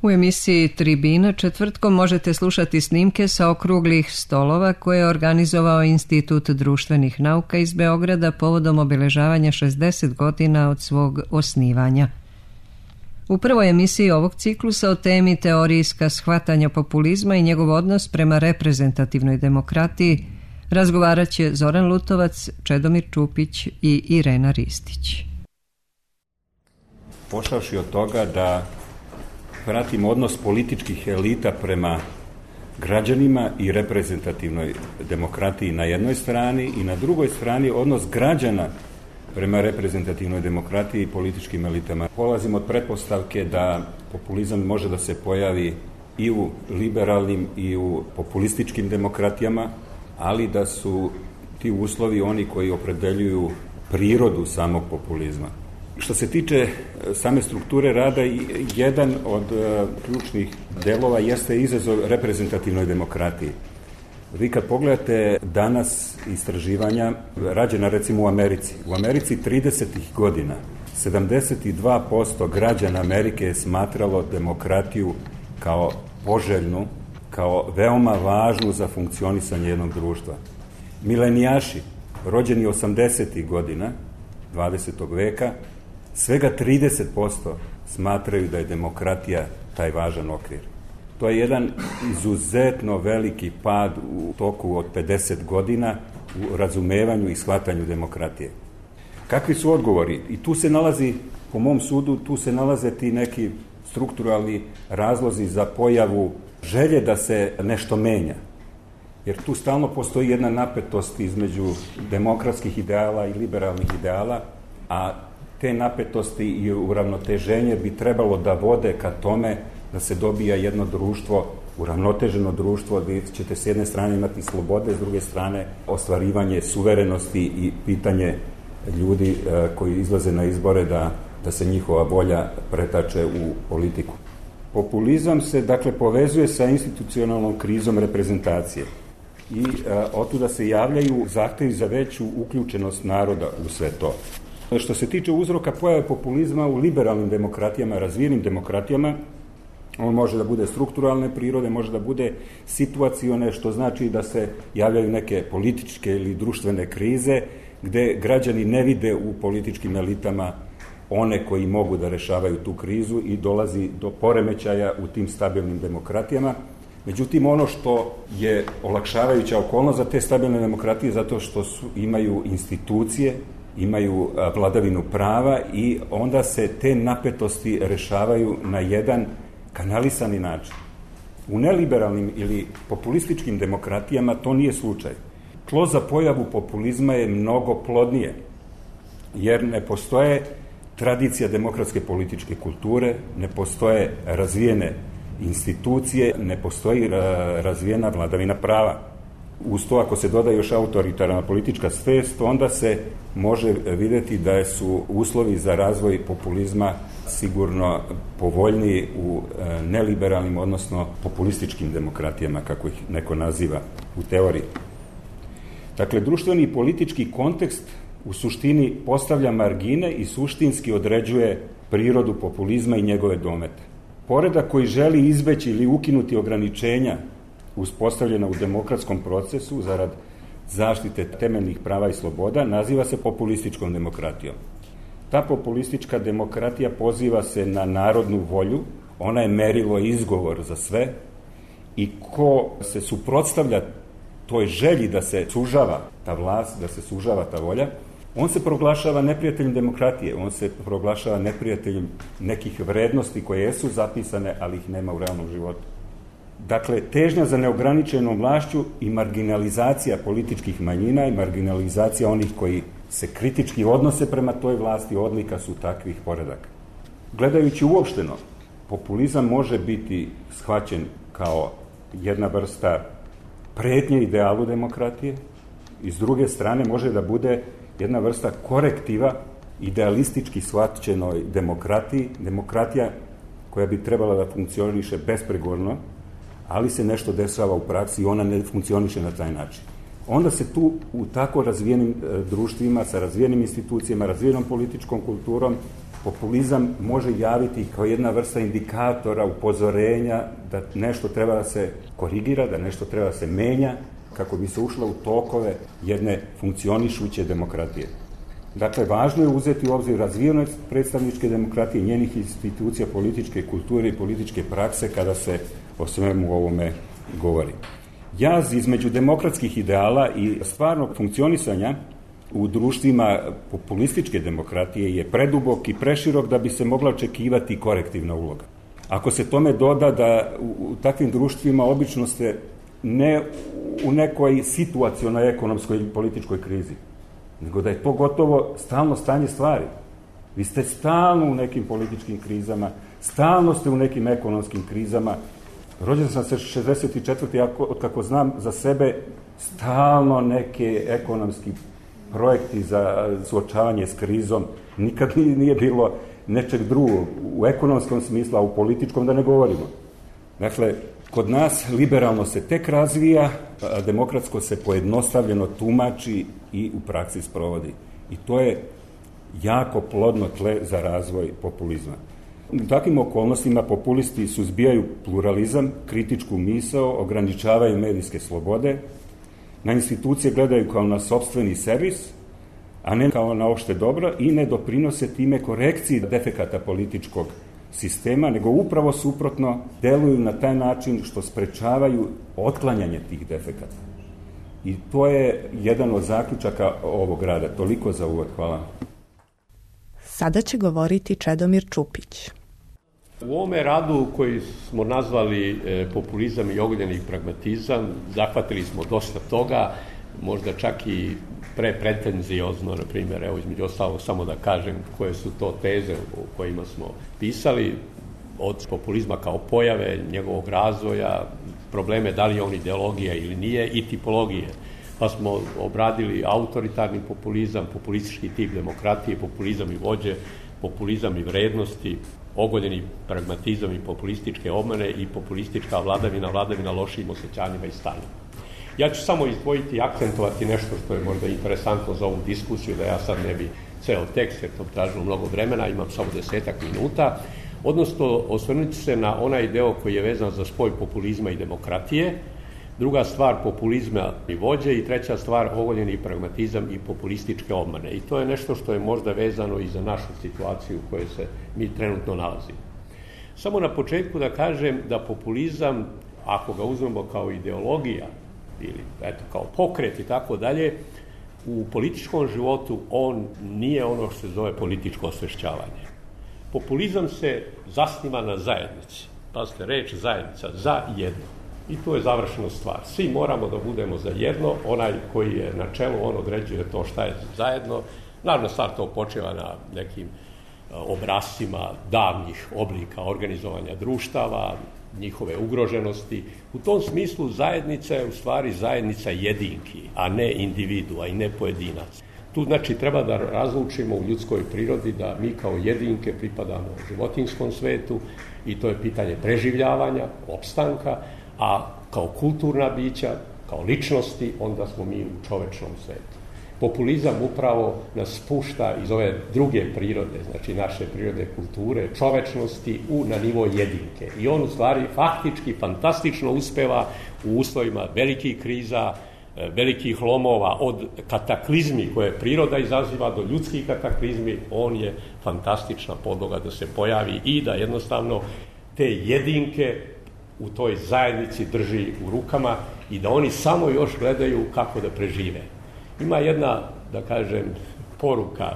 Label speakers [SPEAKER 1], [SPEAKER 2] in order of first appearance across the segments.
[SPEAKER 1] U emisiji Tribina četvrtkom možete slušati snimke sa okruglih stolova koje je organizovao Institut društvenih nauka iz Beograda povodom obeležavanja 60 godina od svog osnivanja. U prvoj emisiji ovog ciklusa o temi teorijska shvatanja populizma i njegov odnos prema reprezentativnoj demokratiji razgovarat će Zoran Lutovac, Čedomir Čupić i Irena Ristić.
[SPEAKER 2] Pošavši od toga da pratimo odnos političkih elita prema građanima i reprezentativnoj demokratiji na jednoj strani i na drugoj strani odnos građana prema reprezentativnoj demokratiji i političkim elitama. Polazimo od pretpostavke da populizam može da se pojavi i u liberalnim i u populističkim demokratijama, ali da su ti uslovi oni koji opredeljuju prirodu samog populizma. Što se tiče same strukture rada, jedan od ključnih delova jeste izazov reprezentativnoj demokratiji. Vi kad pogledate danas istraživanja rađena recimo u Americi. U Americi 30. godina 72% građana Amerike je smatralo demokratiju kao poželjnu, kao veoma važnu za funkcionisanje jednog društva. Milenijaši, rođeni 80. godina 20. veka, svega 30% smatraju da je demokratija taj važan okvir. To je jedan izuzetno veliki pad u toku od 50 godina u razumevanju i shvatanju demokratije. Kakvi su odgovori? I tu se nalazi, po mom sudu, tu se nalaze ti neki strukturalni razlozi za pojavu želje da se nešto menja. Jer tu stalno postoji jedna napetost između demokratskih ideala i liberalnih ideala, a te napetosti i uravnoteženje bi trebalo da vode ka tome da se dobija jedno društvo, uravnoteženo društvo, gdje ćete s jedne strane imati slobode, s druge strane ostvarivanje suverenosti i pitanje ljudi koji izlaze na izbore da se njihova volja pretače u politiku. Populizam se, dakle, povezuje sa institucionalnom krizom reprezentacije i otuda se javljaju zahtevi za veću uključenost naroda u sve to. Što se tiče uzroka pojave populizma u liberalnim demokratijama, razvijenim demokratijama, on može da bude strukturalne prirode, može da bude situacione, što znači da se javljaju neke političke ili društvene krize, gde građani ne vide u političkim elitama one koji mogu da rešavaju tu krizu i dolazi do poremećaja u tim stabilnim demokratijama. Međutim, ono što je olakšavajuća okolnost za te stabilne demokratije zato što imaju institucije, imaju vladavinu prava i onda se te napetosti rešavaju na jedan kanalisani način. U neliberalnim ili populističkim demokratijama to nije slučaj. Tlo za pojavu populizma je mnogo plodnije, jer ne postoje tradicija demokratske političke kulture, ne postoje razvijene institucije, ne postoji razvijena vladavina prava. Uz to, ako se doda još autoritarna politička svest, onda se može videti da su uslovi za razvoj populizma sigurno povoljniji u neliberalnim, odnosno populističkim demokratijama, kako ih neko naziva u teoriji. Dakle, društveni i politički kontekst u suštini postavlja margine i suštinski određuje prirodu populizma i njegove domete. Poredak koji želi izbeći ili ukinuti ograničenja uspostavljena u demokratskom procesu zarad zaštite temeljnih prava i sloboda naziva se populističkom demokratijom. Ta populistička demokratija poziva se na narodnu volju, ona je merilo i izgovor za sve i ko se suprotstavlja toj želji da se sužava ta vlast, da se sužava ta volja, on se proglašava neprijateljem demokratije, on se proglašava neprijateljem nekih vrednosti koje jesu zapisane, ali ih nema u realnom životu. Dakle, težnja za neograničenom vlašću i marginalizacija političkih manjina i marginalizacija onih koji se kritički odnose prema toj vlasti odlika su takvih poredaka. Gledajući uopšteno, populizam može biti shvaćen kao jedna vrsta pretnje idealu demokratije i s druge strane može da bude jedna vrsta korektiva idealistički shvaćenoj demokratiji, demokratija koja bi trebala da funkcioniše bespregovorno, ali se nešto dešava u praksi i ona ne funkcioniše na taj način. Onda se tu u tako razvijenim društvima, sa razvijenim institucijama, razvijenom političkom kulturom, Populizam može javiti kao jedna vrsta indikatora, upozorenja da nešto treba da se korigira, da nešto treba da se menja kako bi se ušlo u tokove jedne funkcionišuće demokratije. Dakle, važno je uzeti u obzir razvijenost predstavničke demokratije, njenih institucija, političke kulture i političke prakse kada se o svemu ovome govori. Jaz između demokratskih ideala i stvarnog funkcionisanja u društvima populističke demokratije je predubok i preširok da bi se mogla očekivati korektivna uloga. Ako se tome doda da u takvim društvima obično ste ne u nekoj situacionoj ekonomskoj i političkoj krizi, nego da je to gotovo stalno stanje stvari. Vi ste stalno u nekim političkim krizama, stalno ste u nekim ekonomskim krizama. Rođen sam se 64. od kako znam za sebe, stalno neke ekonomski projekti za suočavanje s krizom. Nikad nije bilo nečeg drugog u ekonomskom smislu, a u političkom da ne govorimo. Dakle, kod nas liberalno se tek razvija, a demokratsko se pojednostavljeno tumači i u praksi sprovodi. I to je jako plodno tle za razvoj populizma. U takvim okolnostima populisti suzbijaju pluralizam, kritičku misao, ograničavaju medijske slobode, na institucije gledaju kao na sopstveni servis, a ne kao na opšte dobro i ne doprinose time korekciji defekata političkog sistema, nego upravo suprotno deluju na taj način što sprečavaju otklanjanje tih defekata. I to je jedan od zaključaka ovog rada. Toliko za uvod. Hvala.
[SPEAKER 3] Sada će govoriti Čedomir Čupić.
[SPEAKER 4] U ovome radu koji smo nazvali populizam i ogoljeni pragmatizam, zahvatili smo dosta toga, možda čak i pretenziozno, na primjer, evo između ostalog samo da kažem koje su to teze o kojima smo pisali, od populizma kao pojave, njegovog razvoja, probleme da li je on ideologija ili nije i tipologije. Pa smo obradili autoritarni populizam, populistički tip demokratije, populizam i vođe, populizam i vrednosti, ogoljeni pragmatizam i populističke obmane i populistička vladavina lošim osjećanjima i stanjima. Ja ću samo izdvojiti i akcentovati nešto što je možda interesantno za ovu diskusiju, da ja sad ne bi ceo tekst, jer to tražilo mnogo vremena, imam samo 10 minuta, odnosno osvrnuti se na onaj deo koji je vezan za spoj populizma i demokratije, druga stvar populizma i vođe i treća stvar ogoljeni pragmatizam i populističke obmane. I to je nešto što je možda vezano i za našu situaciju u kojoj se mi trenutno nalazimo. Samo na početku da kažem da populizam, ako ga uzmemo kao ideologija ili eto, kao pokret i tako dalje, u političkom životu on nije ono što se zove političko osvešćavanje. Populizam se zasniva na zajednici. Pazite, reč zajednica, za jedno. I to je završena stvar. Svi moramo da budemo za jedno, onaj koji je na čelu, on određuje to šta je zajedno. Naravno, stvar to počeva na nekim obrascima davnih oblika organizovanja društava, njihove ugroženosti. U tom smislu zajednica je u stvari zajednica jedinki, a ne individua i ne pojedinac. Tu znači treba da razlučimo u ljudskoj prirodi da mi kao jedinke pripadamo životinjskom svetu i to je pitanje preživljavanja, opstanka, a kao kulturna bića, kao ličnosti, onda smo mi u čovečnom svetu. Populizam upravo nas spušta iz ove druge prirode, znači naše prirode kulture, čovečnosti na nivo jedinke. I on u stvari faktički fantastično uspeva u uslovima velikih kriza, velikih lomova, od kataklizmi koje priroda izaziva do ljudskih kataklizmi, on je fantastična podloga da se pojavi i da jednostavno te jedinke u toj zajednici drži u rukama i da oni samo još gledaju kako da prežive. Ima jedna, da kažem, poruka,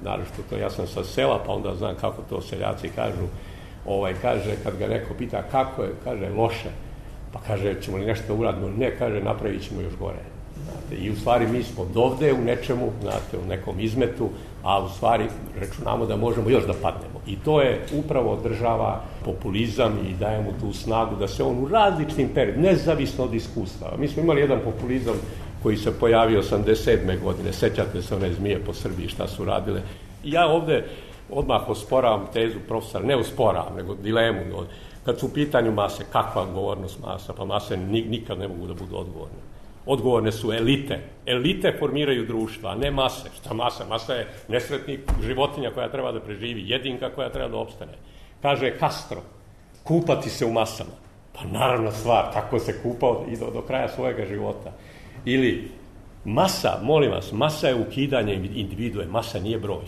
[SPEAKER 4] naravno to ja sam sa sela, pa onda znam kako to seljaci kažu, kaže, kad ga neko pita kako je, kaže loše, pa kaže, ćemo li nešto uraditi? Ne, kaže, napravit ćemo još gore. Znate, i u stvari mi smo dovde u nečemu, znate, u nekom izmetu, a u stvari računamo da možemo još da padnemo. I to je upravo održava populizam i daje mu tu snagu da se on u različitim periodima, nezavisno od iskustava. Mi smo imali jedan populizam koji se pojavio 87. godine, sećate se one zmije po Srbiji šta su radile. I ja ovde odmah osporavam tezu profesora, ne osporavam, nego dilemu. Kad su u pitanju mase, kakva odgovornost masa? Pa mase nikad ne mogu da budu odgovorne. Odgovorne su elite. Elite formiraju društva, a ne mase. Šta masa? Masa je nesretnik, životinja koja treba da preživi, jedinka koja treba da opstane. Kaže Castro, kupati se u masama. Pa naravna stvar, tako se kupao i do kraja svojega života. Ili masa, molim vas, masa je ukidanje individue, masa nije broj.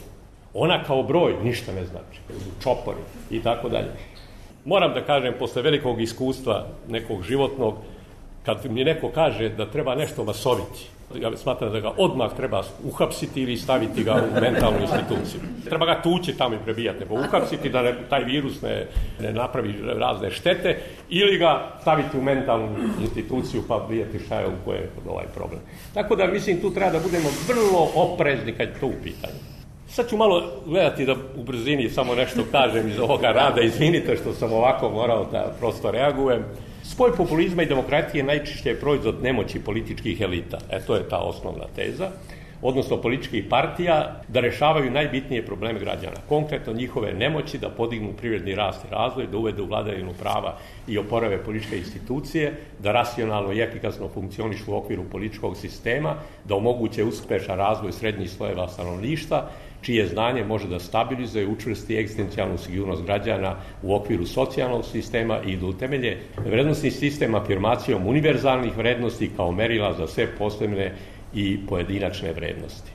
[SPEAKER 4] Ona kao broj ništa ne znači. Čopori i tako dalje. Moram da kažem, posle velikog iskustva nekog životnog, kad mi neko kaže da treba nešto masoviti, ja smatram da ga odmah treba uhapsiti ili staviti ga u mentalnu instituciju. Treba ga tući tamo i prebijati, nego uhapsiti da taj virus ne napravi razne štete ili ga staviti u mentalnu instituciju pa vidjeti šta je u koje je ovaj problem. Tako da mislim tu treba da budemo vrlo oprezni kad je to u pitanju. Sad ću malo gledati da u brzini samo nešto kažem iz ovoga rada, izvinite što sam ovako morao da prosto reagujem. Spoj populizma i demokratije najčešće je proizvod nemoći političkih elita. To je ta osnovna teza, odnosno političkih partija da rešavaju najbitnije probleme građana. Konkretno njihove nemoći da podignu privredni rast i razvoj, da uvedu vladavinu prava i oporave političke institucije, da racionalno i efikasno funkcionišu u okviru političkog sistema, da omoguće uspešan razvoj srednjih slojeva stanovništva, čije znanje može da stabilizuje i učvrsti egzistencijalnu sigurnost građana u okviru socijalnog sistema i da utemelje vrednostni sistem afirmacijom univerzalnih vrednosti kao merila za sve posebne i pojedinačne vrednosti.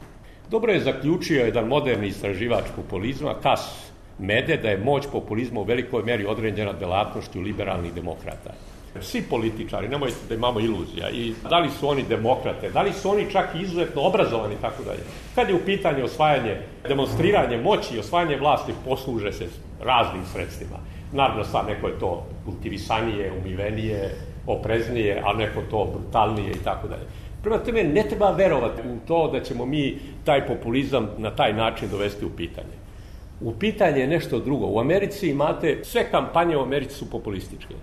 [SPEAKER 4] Dobro je zaključio jedan moderni istraživač populizma, Cas Mede, da je moć populizma u velikoj meri određena delatnošću liberalnih demokrata. Svi političari, nemojte da imamo iluzija, i da li su oni demokrate, da li su oni čak i izuzetno obrazovani, tako dalje. Kad je u pitanju osvajanje, demonstriranje moći i osvajanje vlasti, posluže se raznim sredstvima. Naravno, sad neko je to kultivisanije, umivenije, opreznije, a neko to brutalnije i tako dalje. Prema tome, ne treba verovati u to da ćemo mi taj populizam na taj način dovesti u pitanje. U pitanje je nešto drugo. U Americi imate, sve kampanje u Americi su populističke.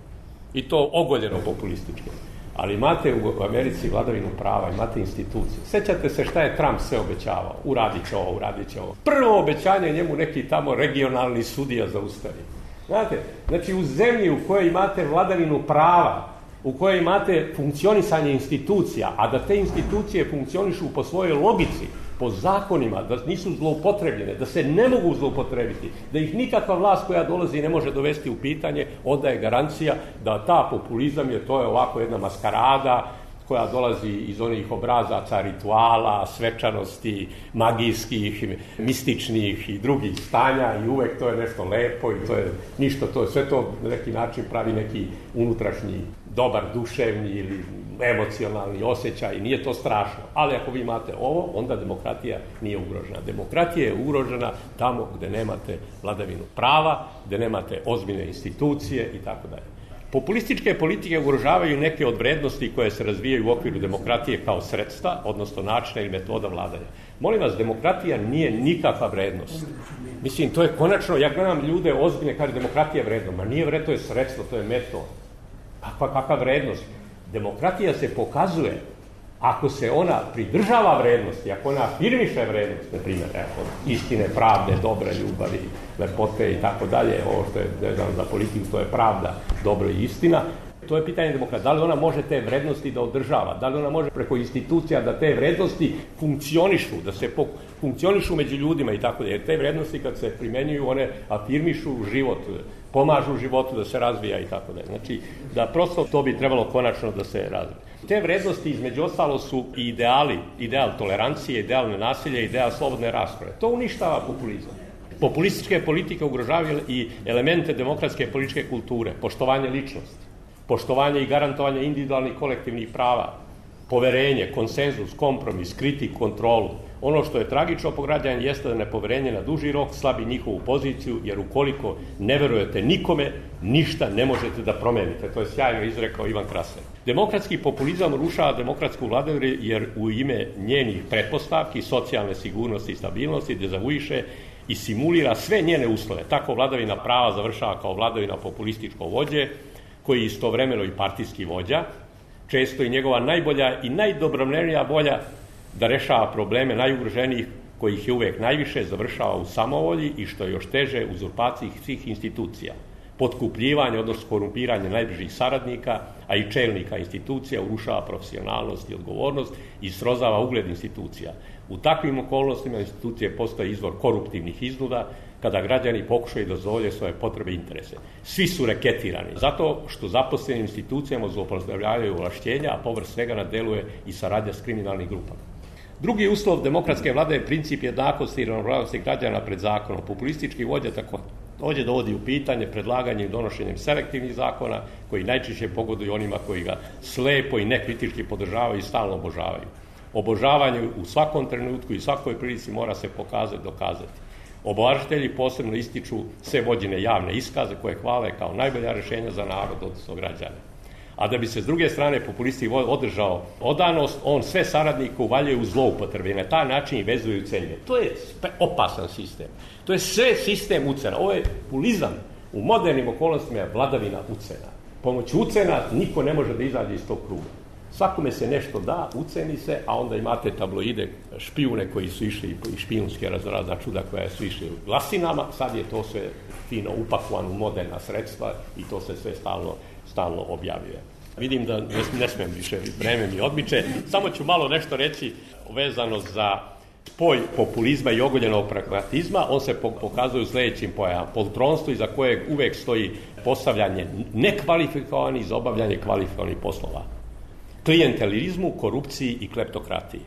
[SPEAKER 4] I to ogoljeno populističke. Ali imate u Americi vladavinu prava, imate institucije. Sećate se šta je Trump sve obećavao? Uradit će ovo, uradit će ovo. Prvo obećanje njemu neki tamo regionalni sudija zaustavi. Znate, znači u zemlji u kojoj imate vladavinu prava, u kojoj imate funkcionisanje institucija, a da te institucije funkcionišu po svojoj logici, po zakonima, da nisu zloupotrebljene, da se ne mogu zloupotrebiti, da ih nikakva vlast koja dolazi ne može dovesti u pitanje, onda je garancija da ta populizam to je ovako jedna maskarada koja dolazi iz onih obrazaca, rituala, svečanosti, magijskih, mističnih i drugih stanja i uvek to je nešto lepo i to je ništa, to je sve to na neki način pravi neki unutrašnji dobar duševni ili emocionalni osjećaj i nije to strašno. Ali ako vi imate ovo, onda demokratija nije ugrožena. Demokratija je ugrožena tamo gde nemate vladavinu prava, gde nemate ozbiljne institucije i tako dalje. Populističke politike ugrožavaju neke od vrednosti koje se razvijaju u okviru demokratije kao sredstva, odnosno načina ili metoda vladanja. Molim vas, demokratija nije nikakva vrednost. Mislim, to je konačno, ja gledam ljude ozbiljne, kaže demokratija je vredno, ma nije vredno, to je sredstvo, to je metod. Kakva vrednost? Demokratija se pokazuje ako se ona pridržava vrednosti, ako ona afirmiše vrednost, na primjer, istine, pravde, dobre ljubavi, lepote i tako dalje, ovo što je vezano za politiku, to je pravda, dobro i istina, to je pitanje demokratije. Da li ona može te vrednosti da održava? Da li ona može preko institucija da te vrednosti funkcionišu, da se funkcionišu među ljudima i tako dalje? Jer te vrednosti kad se primenjuju, one afirmišu život, pomažu životu da se razvija i tako dalje. Znači, da prosto to bi trebalo konačno da se razvije. Te vrednosti, između ostalo, su i ideali, ideal tolerancije, ideal nenasilja, ideal slobodne rasprave. To uništava populizam. Populističke politike ugrožavaju i elemente demokratske političke kulture, poštovanje ličnosti, poštovanje i garantovanje individualnih kolektivnih prava, poverenje, konsenzus, kompromis, kritiku, kontrolu. Ono što je tragično po građanima jeste da nepoverenje na duži rok slabi njihovu poziciju, jer ukoliko ne verujete nikome, ništa ne možete da promenite. To je sjajno izrekao Ivan Krasen. Demokratski populizam rušava demokratsku vladavinu jer u ime njenih pretpostavki, socijalne sigurnosti i stabilnosti dezavuiše i simulira sve njene uslove. Tako vladavina prava završava kao vladavina populističkog vođe, koji je istovremeno i partijski vođa, često i njegova najbolja i najdobronamjernija volja da rešava probleme najugroženijih, kojih je uvek najviše, završava u samovolji i što je još teže, uzurpaciji svih institucija. potkupljivanje, odnosno korumpiranje najbližih saradnika, a i čelnika institucija, urušava profesionalnost i odgovornost i srozava ugled institucija. U takvim okolnostima institucije postaje izvor koruptivnih iznuda, kada građani pokušaju da zadovolje svoje potrebe i interese. Svi su reketirani, zato što zaposleni institucijama zloupotrebljavaju ovlašćenja, a povrh svega na delu je i saradnja s kriminalnim grupama. Drugi uslov demokratske vlade je princip jednakosti i ravnopravnosti građana pred zakonom. Populistički vođa takođe dovodi u pitanje predlaganjem i donošenjem selektivnih zakona koji najčešće pogoduju onima koji ga slepo i nekritički podržavaju i stalno obožavaju. Obožavanje u svakom trenutku i svakoj prilici mora se dokazati. Obožavatelji posebno ističu sve vođene javne iskaze koje hvale kao najbolja rešenja za narod, odnosno građane. A da bi se s druge strane populisti održao odanost, on sve saradnike uvaljuje u zloupotrebe i na taj način i vezuje u celje. To je opasan sistem. To je sve sistem ucena. Ovo je populizam u modernim okolnostima je vladavina ucena. Pomoću ucena niko ne može da izađe iz tog kruga. Svakome se nešto da, uceni se, a onda imate tabloide, špijune koji su išli i špijunske razna čuda koja su išli u glasinama, sad je to sve fino upakovano u moderna sredstva i to se sve stalno objavljuje. Vidim da ne smijem više, vreme mi odmiče, samo ću malo nešto reći vezano za spoj populizma i ogoljenog pragmatizma. On se pokazuje u sledećim pojavama. Poltronstvo iza kojeg uvek stoji postavljanje nekvalifikovanih za obavljanje kvalifikovanih poslova. Klijentelizmu, korupciji i kleptokratiji.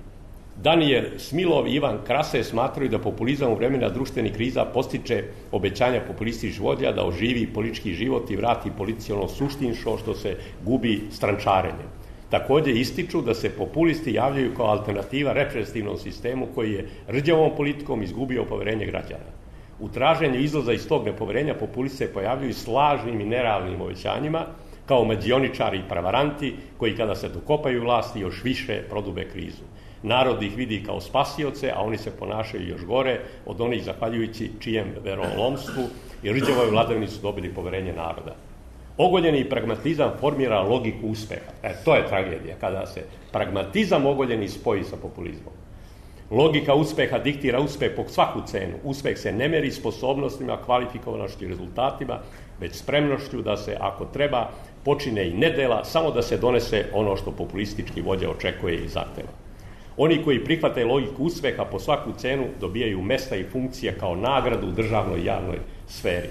[SPEAKER 4] Daniel Smilov i Ivan Krase smatraju da populizam u vremena društvenih kriza postiče obećanja populističkih vođa da oživi politički život i vrati politici ono suštinsko što se gubi strančarenjem. Takođe ističu da se populisti javljaju kao alternativa represivnom sistemu koji je rđavom politikom izgubio poverenje građana. U traženju izlaza iz tog nepoverenja populisti se pojavljuju s lažnim i nerealnim obećanjima kao mađioničari i pravaranti koji kada se dokopaju vlasti još više prodube krizu. Narod ih vidi kao spasioce, a oni se ponašaju još gore od onih zahvaljujući čijem verolomstvu i rđavoj vladavini su dobili poverenje naroda. Ogoljeni pragmatizam formira logiku uspeha. To je tragedija, kada se pragmatizam ogoljeni spoji sa populizmom. Logika uspeha diktira uspeh po svaku cenu. Uspeh se ne meri sposobnostima, kvalifikovanošću i rezultatima, već spremnošću da se, ako treba, počine i nedela, samo da se donese ono što populistički vođa očekuje i zahteva. Oni koji prihvate logiku uspeha po svaku cenu dobijaju mesta i funkcije kao nagradu u državnoj i javnoj sferi.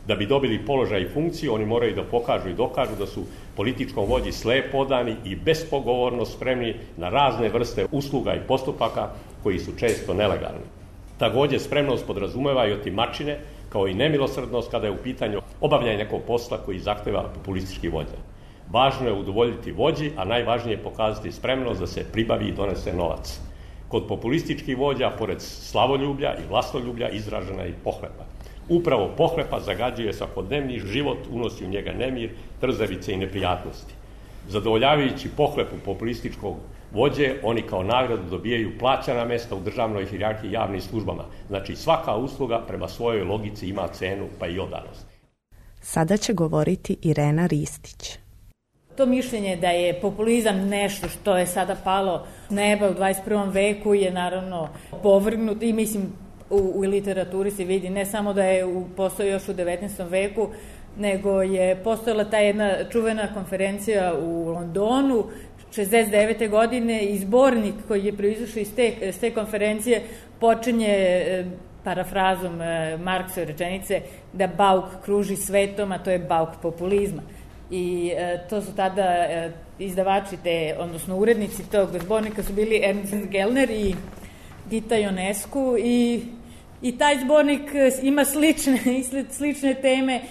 [SPEAKER 4] Da bi dobili položaj i funkciju, oni moraju da pokažu i dokažu da su političkom vođi slepo odani i bespogovorno spremni na razne vrste usluga i postupaka koji su često nelegalni. Takođe, spremnost podrazumeva i otimačine, kao i nemilosrdnost kada je u pitanju obavljanje nekog posla koji zahteva populistički vođa. Važno je udovoljiti vođi, a najvažnije je pokazati spremnost da se pribavi i donese novac. Kod populističkih vođa, pored slavoljublja i vlastoljublja, izražena je i pohlepa. Upravo pohlepa zagađuje svakodnevni život, unosi u njega nemir, trzavice i neprijatnosti. Zadovoljavajući pohlepu populističkog vođe, oni kao nagradu dobijaju plaćana mesta u državnoj hijerarhiji i javnim službama. Znači, svaka usluga prema svojoj logici ima cenu, pa i odanost.
[SPEAKER 3] Sada će govoriti Irena Ristić.
[SPEAKER 5] To mišljenje da je populizam nešto što je sada palo s neba u 21. veku je naravno povrgnut i mislim u literaturi se vidi ne samo da je postoji još u 19. veku, nego je postojala ta jedna čuvena konferencija u Londonu 69. godine i zbornik koji je proizašao iz te konferencije počinje parafrazom Marksove rečenice da bauk kruži svetom, a to je bauk populizma. I to su tada izdavači odnosno urednici tog zbornika su bili Ernst Gellner i Gita Ionescu i taj zbornik ima slične teme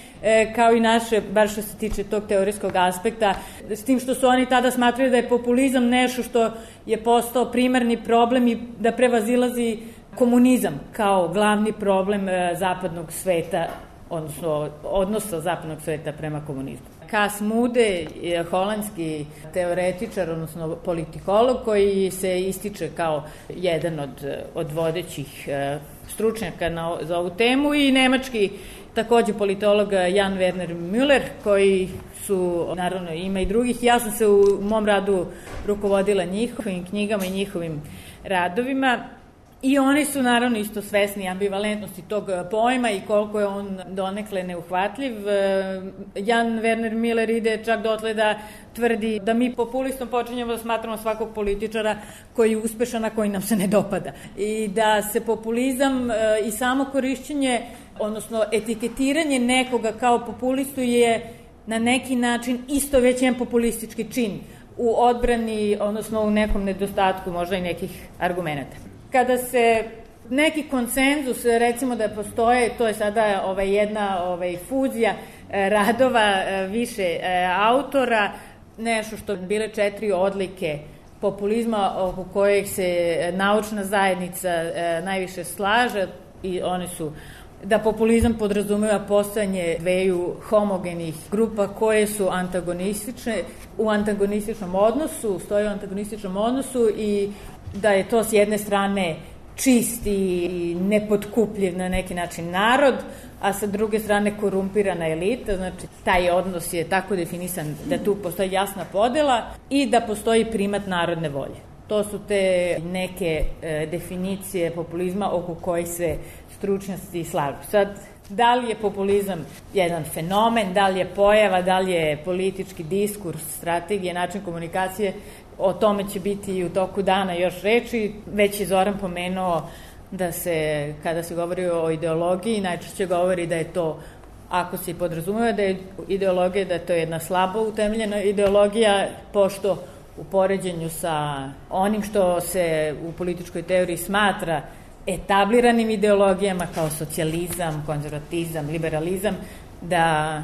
[SPEAKER 5] kao i naše, bar što se tiče tog teorijskog aspekta, s tim što su oni tada smatrali da je populizam nešto što je postao primarni problem i da prevazilazi komunizam kao glavni problem zapadnog sveta, odnosno odnosa zapadnog sveta prema komunizmu. Cas Mudde je holandski teoretičar, odnosno politikolog, koji se ističe kao jedan od vodećih stručnjaka za ovu temu i nemački takođe politolog Jan Werner Müller, koji su, naravno ima i drugih, ja sam se u mom radu rukovodila njihovim knjigama i njihovim radovima I oni su naravno isto svesni ambivalentnosti tog pojma i koliko je on donekle neuhvatljiv. Jan Werner Miller ide čak dotle da tvrdi da mi populistom počinjemo da smatramo svakog političara koji je uspešan, a koji nam se ne dopada. I da se populizam i samo korišćenje, odnosno etiketiranje nekoga kao populistu je na neki način isto već jedan populistički čin u odbrani, odnosno u nekom nedostatku možda i nekih argumenta. Kada se neki konsenzus, recimo da postoje, to je sada jedna fuzija radova više autora, nešto što bile 4 odlike populizma oko kojeg se naučna zajednica najviše slaže, i one su da populizam podrazumeva postojanje dveju homogenih grupa koje su antagonistične, u antagonističnom odnosu, stoje u antagonističnom odnosu i da je to s jedne strane čist i nepotkupljiv na neki način narod, a sa druge strane korumpirana elita, znači taj odnos je tako definisan da tu postoji jasna podela i da postoji primat narodne volje. To su te neke definicije populizma oko kojih se stručnjaci slažu. Sad, da li je populizam jedan fenomen, da li je pojava, da li je politički diskurs, strategija, način komunikacije, o tome će biti i u toku dana još reči. Već je Zoran pomenuo da se, kada se govori o ideologiji, najčešće govori da je to, ako se podrazumeva da je ideologija, da je to jedna slabo utemeljena ideologija, pošto u poređenju sa onim što se u političkoj teoriji smatra etabliranim ideologijama kao socijalizam, konzervatizam, liberalizam, da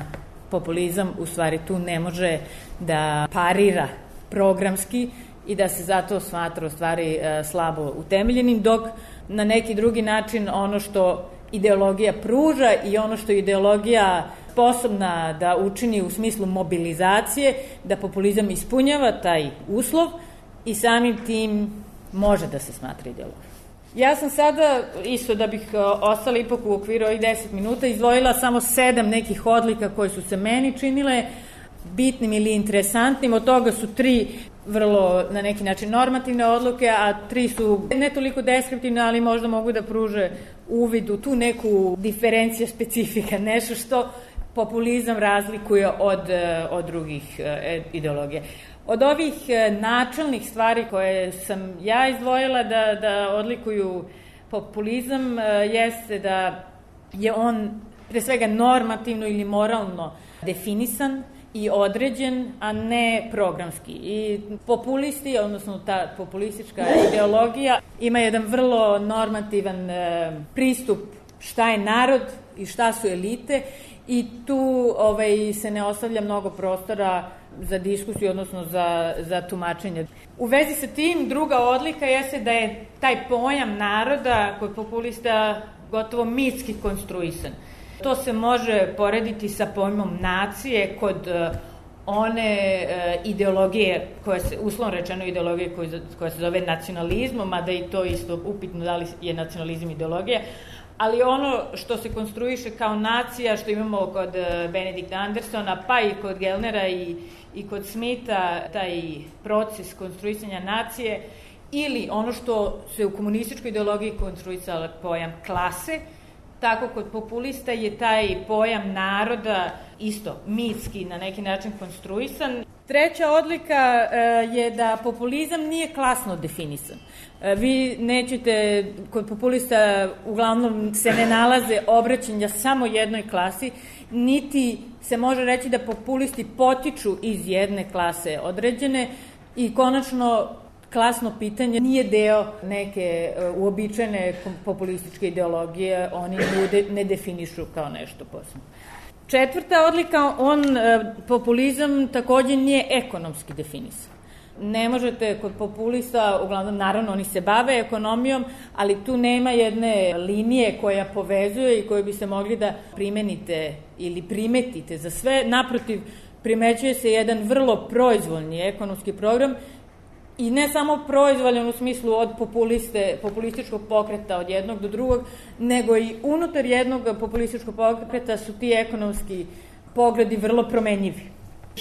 [SPEAKER 5] populizam u stvari tu ne može da parira programski i da se zato smatra u stvari slabo utemeljenim, dok na neki drugi način ono što ideologija pruža i ono što je ideologija sposobna da učini u smislu mobilizacije, da populizam ispunjava taj uslov i samim tim može da se smatra ideologijom. Ja sam sada, isto da bih ostala ipak u okviru ovih 10 minuta, izdvojila samo 7 nekih odlika koje su se meni činile bitnim ili interesantnim. Od toga su 3 vrlo, na neki način, normativne odluke, a 3 su ne toliko deskriptivne, ali možda mogu da pruže uvid u tu neku diferenciju specifika, nešto što populizam razlikuje od drugih ideologija. Od ovih načelnih stvari koje sam ja izdvojila da odlikuju populizam jeste da je on pre svega normativno ili moralno definisan i određen, a ne programski. I populisti, odnosno ta populistička ideologija, ima jedan vrlo normativan pristup šta je narod i šta su elite i tu se ne ostavlja mnogo prostora za diskusiju, odnosno za tumačenje. U vezi sa tim, druga odlika jeste da je taj pojam naroda kod populista gotovo mitski konstruisan. To se može porediti sa pojmom nacije kod one ideologije, uslovno rečeno ideologije koja se zove nacionalizmom, mada i to isto upitno da li je nacionalizam ideologija, ali ono što se konstruiše kao nacija, što imamo kod Benedikta Andersona, pa i kod Gellnera i kod Smitha, taj proces konstruisanja nacije, ili ono što se u komunističkoj ideologiji konstruisala pojam klase, tako kod populista je taj pojam naroda isto mitski na neki način konstruisan. Treća odlika je da populizam nije klasno definisan. Vi nećete, kod populista uglavnom se ne nalaze obraćanja samo jednoj klasi, niti se može reći da populisti potiču iz jedne klase određene i konačno klasno pitanje nije deo neke uobičajene populističke ideologije, oni ne definišu kao nešto posebno. Četvrta odlika, populizam takođe nije ekonomski definisan. Ne možete kod populista, uglavnom naravno oni se bave ekonomijom, ali tu nema jedne linije koja povezuje i koju bi se mogli da primenite ili primetite za sve. Naprotiv, primećuje se jedan vrlo proizvoljni ekonomski program i ne samo proizvoljan u smislu od populističkog pokreta od jednog do drugog, nego i unutar jednog populističkog pokreta su ti ekonomski pogledi vrlo promenjivi.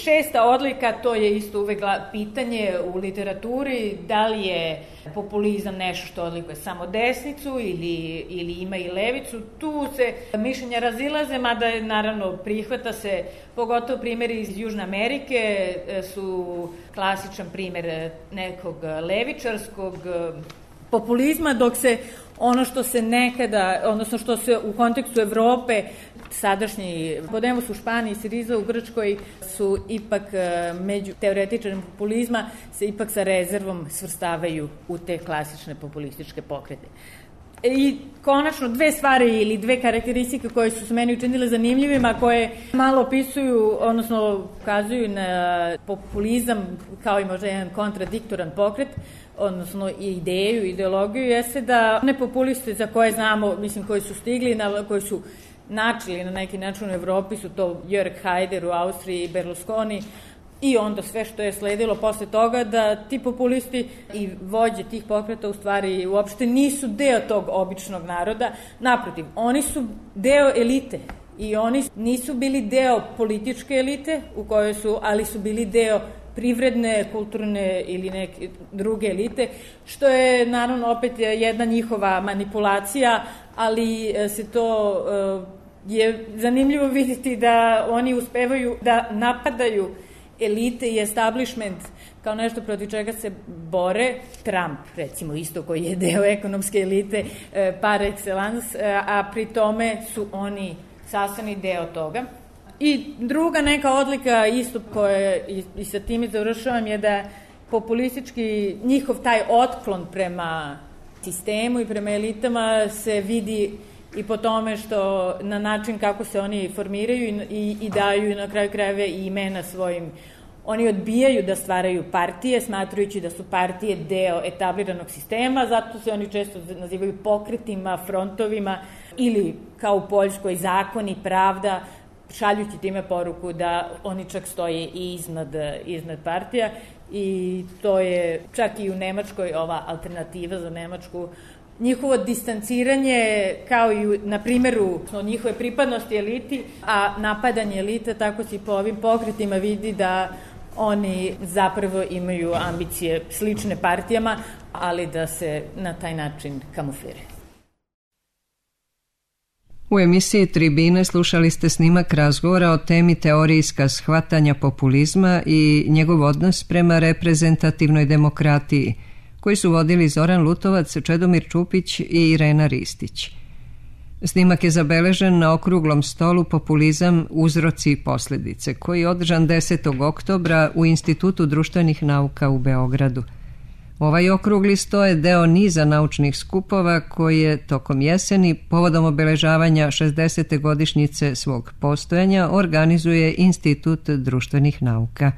[SPEAKER 5] Šesta odlika, to je isto uvek pitanje u literaturi, da li je populizam nešto što odlikuje samo desnicu ili ima i levicu. Tu se mišljenja razilaze, mada je naravno prihvata se, pogotovo primjeri iz Južne Amerike su klasičan primjer nekog levičarskog populizma, dok se ono što se nekada, odnosno što se u kontekstu Evrope, sadašnji Podemos u Španiji, Siriza u Grčkoj su ipak među teoretičarima populizma se ipak sa rezervom svrstavaju u te klasične populističke pokrete. I konačno dve stvari ili dve karakteristike koje su se meni učinile zanimljivima, koje malo opisuju, odnosno ukazuju na populizam kao i možda jedan kontradiktoran pokret, odnosno i ideju, ideologiju, jeste da one populiste za koje znamo, mislim, koji su stigli, koji su načeli na neki način u Evropi, su to Jörg Haider u Austriji i Berlusconi, i onda sve što je sledilo posle toga, da ti populisti i vođe tih pokreta u stvari uopšte nisu deo tog običnog naroda. Naprotiv, oni su deo elite i oni nisu bili deo političke elite u kojoj su, ali su bili deo privredne, kulturne ili neke druge elite, što je naravno opet jedna njihova manipulacija, ali se to je zanimljivo vidjeti da oni uspevaju da napadaju elite i establishment kao nešto protiv čega se bore. Trump, recimo, isto, koji je deo ekonomske elite par excellence, a pri tome su oni sastavni deo toga. I druga neka odlika isto koja, i sa time završavam, je da populistički njihov taj otklon prema sistemu i prema elitama se vidi i po tome što na način kako se oni formiraju i daju na kraju krajeva i imena svojim. Oni odbijaju da stvaraju partije, smatrajući da su partije deo etabliranog sistema, zato se oni često nazivaju pokretima, frontovima ili kao u Poljskoj zakon i pravda, šaljući time poruku da oni čak stoje i iznad partija, i to je čak i u Nemačkoj ova alternativa za Nemačku. Njihovo distanciranje, kao i na primjeru njihove pripadnosti eliti, a napadanje elite, tako se i po ovim pokretima vidi da oni zapravo imaju ambicije slične partijama, ali da se na taj način kamufliraju.
[SPEAKER 1] U emisiji Tribine slušali ste snimak razgovora o temi teorijska shvatanja populizma i njegov odnos prema reprezentativnoj demokratiji, koji su vodili Zoran Lutovac, Čedomir Čupić i Irena Ristić. Snimak je zabeležen na okruglom stolu Populizam, uzroci i posljedice, koji je održan 10. oktobra u Institutu društvenih nauka u Beogradu. Ovaj okrugli sto je deo niza naučnih skupova koji je tokom jeseni, povodom obeležavanja 60. godišnjice svog postojanja, organizuje Institut društvenih nauka.